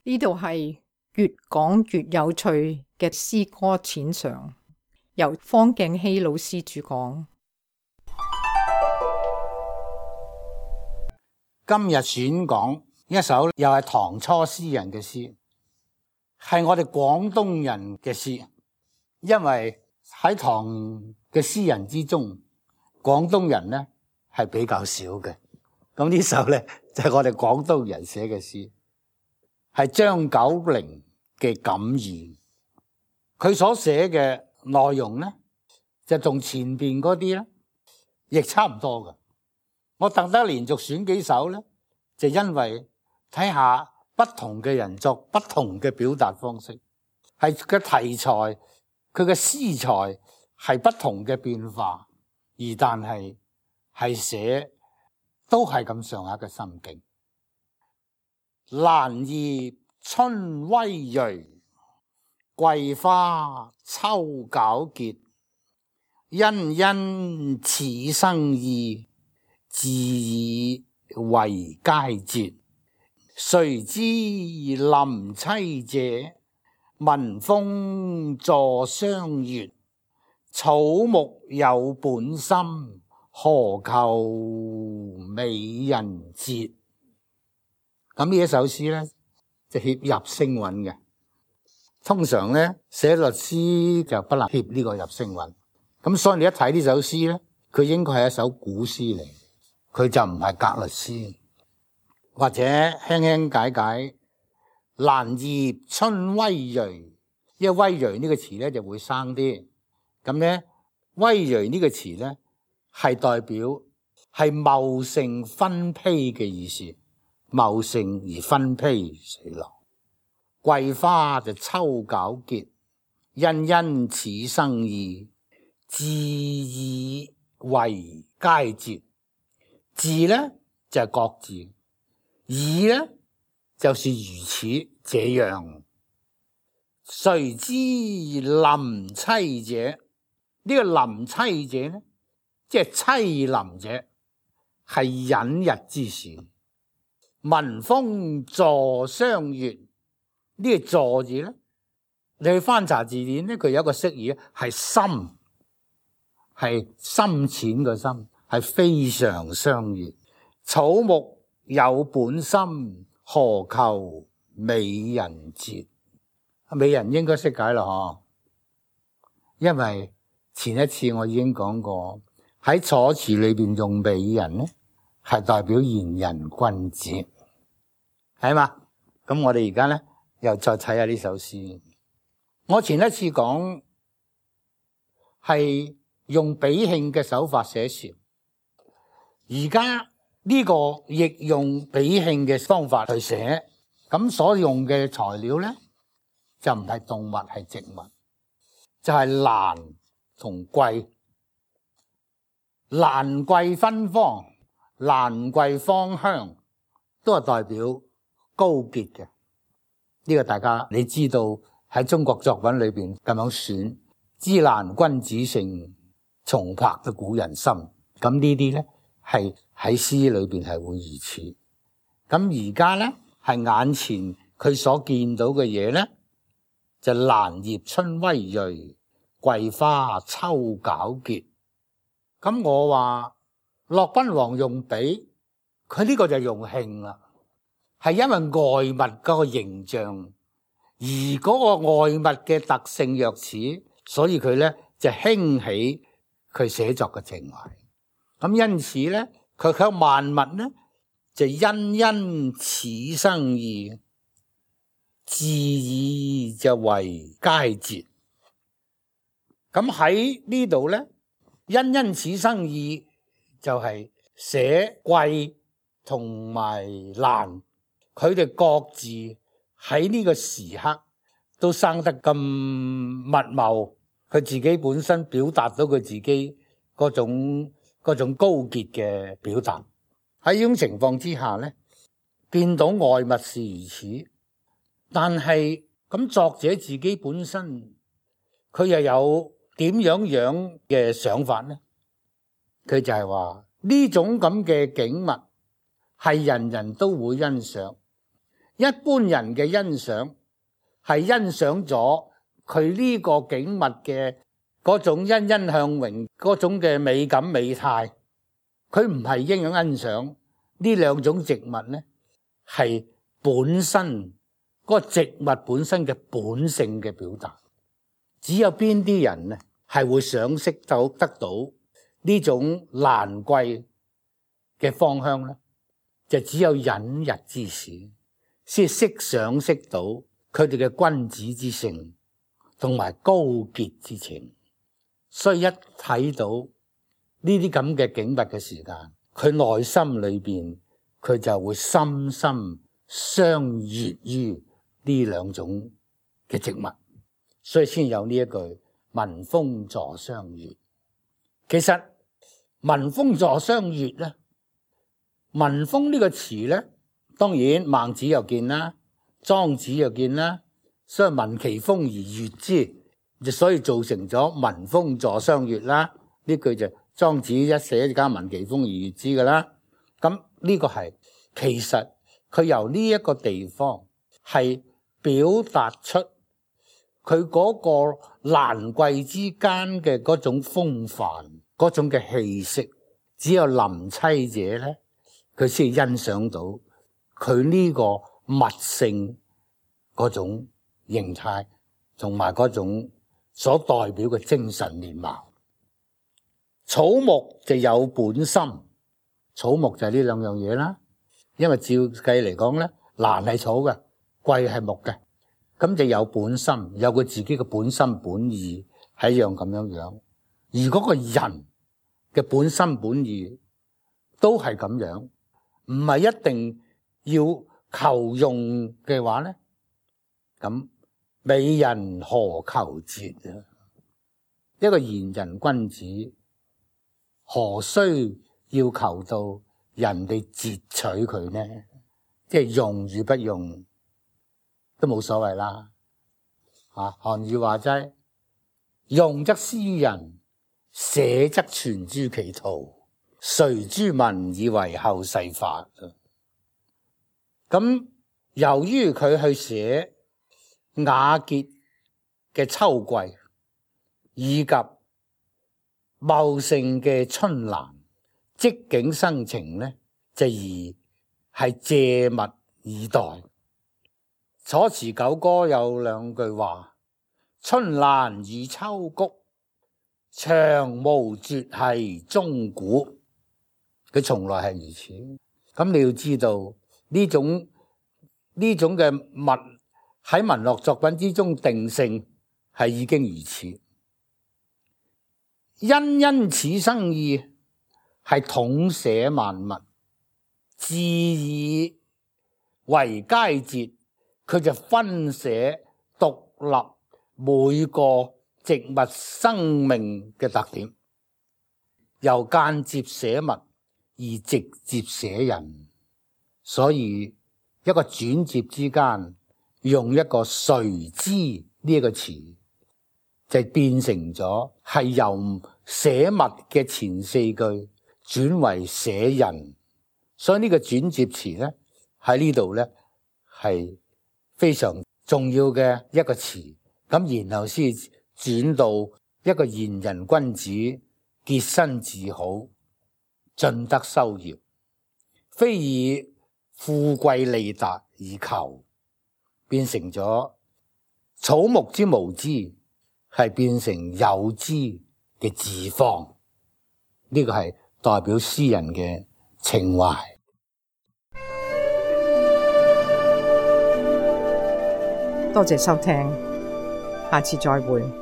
呢度係越講越有趣嘅詩歌淺嘗，由方敬熙老師主講。今日選講一首又係唐初詩人嘅詩，係我哋廣東人嘅詩，因為喺唐嘅詩人之中，廣東人呢係比較少嘅。咁呢首呢就係我哋廣東人寫嘅詩，係張九齡嘅感言。佢所寫嘅內容呢就同前邊嗰啲呢亦差唔多嘅。我特登連續選幾首呢，就因為睇下不同嘅人作不同嘅表達方式，係嘅題材，佢嘅詩材係不同嘅變化，而但係寫都係咁上下嘅心境。蘭葉春葳蕤，桂花秋皎潔，欣欣此生意，自以為佳節。誰知臨萋者，聞風坐霜月。草木有本心，何求美人節。咁呢一首詩呢，就協入聲韻嘅。通常呢，寫律詩就不能協呢個入聲韻。咁所以你一睇呢首詩呢，佢應該係一首古詩嚟，佢就唔係格律詩。或者輕輕解解，蘭葉春葳蕤，因為葳蕤呢個詞呢就會生啲。咁呢，葳蕤呢個詞呢係代表係茂盛分披嘅意思，茂盛而分披垂落。桂花就秋皎潔，欣欣此生意，自以為佳節。自呢就係各自，以呢就是如此這樣。誰知臨萋者，呢個臨萋者呢，即係淒臨者，係隱逸之時。聞風坐霜月，呢個坐字呢，你去翻查字典呢，佢有一個釋義係深，係深淺嘅深，係非常相悅。草木有本心，何求美人節。美人應該識解啦嗬，因為前一次我已經講過，喺楚辭裏邊用美人呢，係代表賢人君子，係嘛？咁我哋而家呢又再睇下呢首詩。我前一次講係用比興嘅手法寫詞，而家呢個亦用比興嘅方法去寫，咁所用嘅材料呢就唔係動物，係植物，就係蘭同桂。蘭桂芬芳，蘭桂芳香，都係代表高潔嘅。呢個大家你知道喺中國作品裏邊咁樣選，芝蘭君子性，松柏得古人心。咁呢啲呢係喺詩裏邊係會如此。咁而家呢係眼前佢所見到嘅嘢呢，就蘭葉春葳蕤，桂花秋皎潔。咁我話駱賓王用比，佢呢個就用興啦，係因為外物嗰個形象，而嗰個外物嘅特性若此，所以佢呢就興起佢寫作嘅情懷。咁因此呢，佢喺萬物呢就欣欣此生意，自以就為佳節。咁喺呢度呢，欣欣此生意就係寫桂同埋蘭，佢哋各自喺呢個時刻都生得咁密茂，佢自己本身表達到佢自己嗰種高潔嘅表達。喺呢種情況之下呢，見到外物是如此，但係咁作者自己本身佢又有點樣嘅想法呢？佢就係話呢種咁嘅景物係人人都會欣賞，一般人嘅欣賞係欣賞咗佢呢個景物嘅嗰種欣欣向榮，嗰種嘅美感美態，佢唔係應該欣賞呢兩種植物呢，係本身嗰個植物本身嘅本性嘅表達。只有邊啲人呢係會賞識到得到呢種蘭桂嘅芳香呢？就只有隱逸之士先識賞識到佢哋嘅君子之性同埋高潔之情。所以一睇到呢啲咁嘅景物嘅時間，佢內心裏邊佢就會深深相悅於呢兩種嘅植物，所以先有呢一句聞風坐相悅。其實聞風坐相悅咧，聞風呢個詞咧，當然孟子又見啦，莊子又見啦，所以聞其風而悅之，所以造成咗聞風坐相悅啦。呢句就莊子一寫加聞其風而悅之噶啦。咁呢個係其實佢由呢一個地方係表達出佢嗰個蘭桂之間嘅嗰種風範，嗰種嘅氣息，只有臨棲者咧，佢先欣賞到佢呢個物性嗰種形態，同埋嗰種所代表嘅精神面貌。草木就有本心，草木就係呢兩樣嘢啦。因為照計嚟講咧，蘭係草嘅，桂係木嘅，咁就有本心，有佢自己嘅本心本意，係一樣咁樣樣。而嗰個人嘅本心本意都係咁樣，唔係一定要求用嘅話咧，咁美人何求節啊？一個賢人君子何須要求到人哋截取佢呢？即係用與不用都冇所謂啦。韓愈話齋，用則施於人，捨則傳諸其徒，隨諸民以為後世法。咁由於佢去寫雅潔嘅秋桂，以及茂盛嘅春蘭，即景生情呢，就而係借物以代。楚辭九歌有兩句話：春蘭與秋菊，長無絕係終古。佢從來係如此。咁你要知道呢種嘅物喺文學作品之中定性係已經如此。因此生意係統寫萬物，自以為佳節，佢就分寫獨立每個植物生命嘅特點，由間接寫物而直接寫人。所以一個轉接之間用一個誰之呢一個詞，就變成咗係由寫物嘅前四句轉為寫人。所以呢個轉接詞咧喺呢度咧係非常重要嘅一個詞。咁然後先轉到一個賢人君子潔身自好，盡德修業，非以富貴利達而求，變成咗草木之無知，係變成有知嘅自放。呢個係代表詩人嘅情懷。多謝收聽，下次再會。